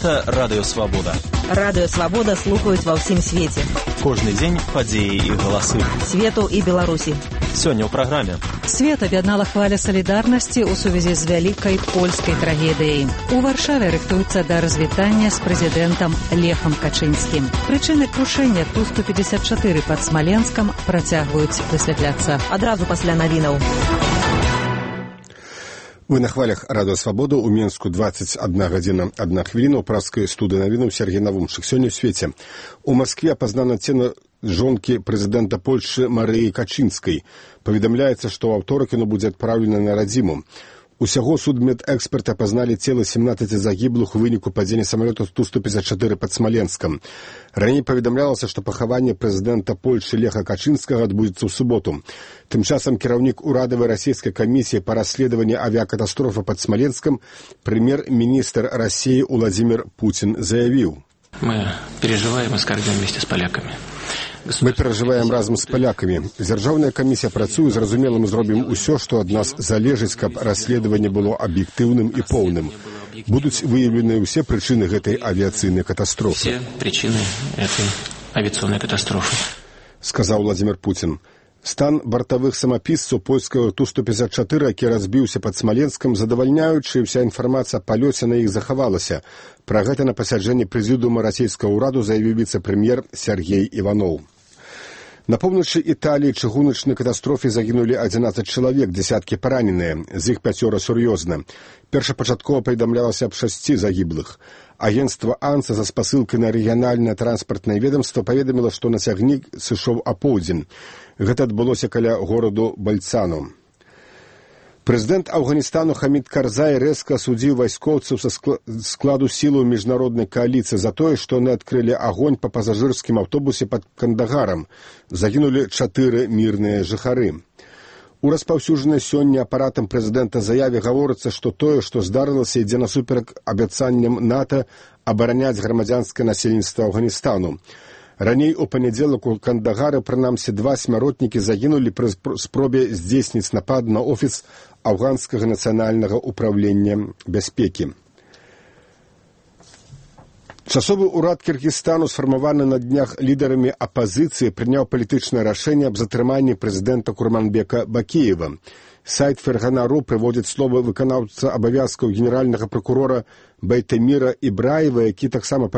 Гэта Радыё Свабода. Радыё Свабода слухаюць ва ўсім свеце. Кожны дзень падзеі і галасы. Свету і Беларусі. Сёння ў праграме. Свет аб'яднала хваля салідарнасці ў сувязі з вялікай польскай трагедыяй. У Варшаве рыхтуецца да развітання з прэзідэнтам Лехам Качынскім. Прычыны крушэння Ту-154 пад Смаленскам працягваюць высвятляцца. Адразу пасля навінаў. Вы на хвалях Радыё Свабода. У Мінску 21 гадзіна 1 хвіліна. У праскай студыі навінаў Сергей Навумчык. Сёння ў свеце. У Маскве апазнана цела жонкі прэзідэнта Польшы Марыі Качынскай. Паведамляецца, што ў аўторак яно будзе адпраўлена на радзіму. Усяго судмедэксперты апазналі цела 17 загіблых у выніку падзення самалёта Ту-154 пад Смаленскам. Раней паведамлялася, што пахаванне прэзідэнта Польшы Леха Качынскага адбудзецца ў суботу. Тым часам кіраўнік урадавай расійскай камісіі па расследаванні авіякатастрофы пад Смаленском прэм'ер-міністр России Владимир Путин заявіў: Мы переживаем и скорбим вместе с поляками. Мы перажываем разам з палякамі. Дзяржаўная камісія працуе, зразумела, мы зробім усё, што ад нас залежыць, каб расследаванне было аб'ектыўным і поўным. Будуць выяўлены ўсе прычыны гэтай авіяцыйнай катастрофы. Все причины этой авиационной катастрофы, сказаў Владимир Путин. Стан бартавых самапісцаў польскага Ту-154, які разбіўся пад Смаленскам, задавальняючы, ўся інфармацыя аб палёце на іх захавалася. Пра гэта на пасяджэнні прэзідыума расійскага ўраду заявіў віцэ-прэм'ер Сергей Іванов. На поўначы Італіі чыгуначнай катастрофе загінулі 11 чалавек, дзесяткі параненыя, з іх 5 сур'ёзна. Першапачаткова паведамлялася аб 6 загіблых. Агенцтва АНСА за спасылкай на рэгіянальнае транспартнае ведомства паведаміла, што на цягнік сышоў апоўдзень. Гэта адбылося каля гораду Бальцану. Прэзідэнт Афганістану Хамід Карзай рэзка асудзіў вайскоўцаў са складу сілаў міжнароднай кааліцыі за тое, што яны адкрылі агонь па пасажырскім аўтобусе пад Кандагарам. Загінулі 4 мірныя жыхары. У распаўсюджанай сёння апаратам прэзідэнта заяве гаворыцца, што тое, што здарылася, ідзе насуперак абяцанням НАТО абараняць грамадзянскае насельніцтва Афганістану. Раней у панядзелак у Кандагары прынамсі 2 смяротнікі загінулі пры спробе здзейсніць напад на офіс афганскага нацыянальнага ўправлення бяспекі. Часовы ўрад Кіргізстану, сфармаваны на днях лідарамі апазіцыі, прыняў палітычнае рашэнне аб затрыманні прэзідэнта Курманбека Бакіева. Сайт Фергана.ру прыводзіць словы выканаўца абавязкаў генеральнага пракурора Байтеміра Ібраева, які таксама